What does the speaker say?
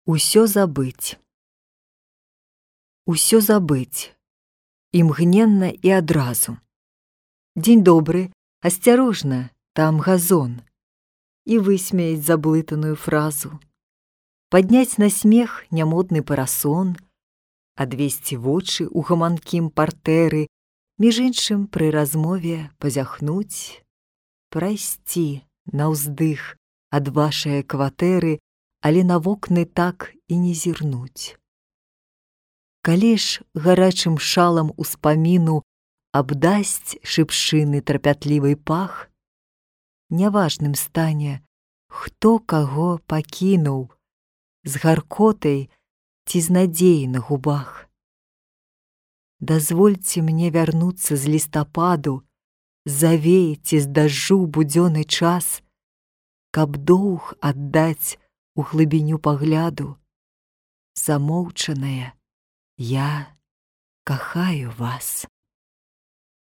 Усё забыць. Усё забыць. Імгненна і адразу. Дзень добры, асцярожна, там газон. І высмеяць заблытаную фразу. Падняць на смех нямодны парасон, адвесці вочы ў гаманкім партэры, між іншым пры размове пазяхнуць, прайсці наўздых ад вашае кватэры, але на вокны так і не зірнуць. Калі ж гарачым шалам успаміну абдасць шыпшыны трапятлівый пах, няважным стане, хто каго пакінуў, з гаркотай ці з надзеяй на губах. Дазвольце мне вярнуцца з лістападу, завеяць з дажджу будзённы час, каб доўг аддаць у глыбіню пагляду. Замоўчанае, я кахаю вас.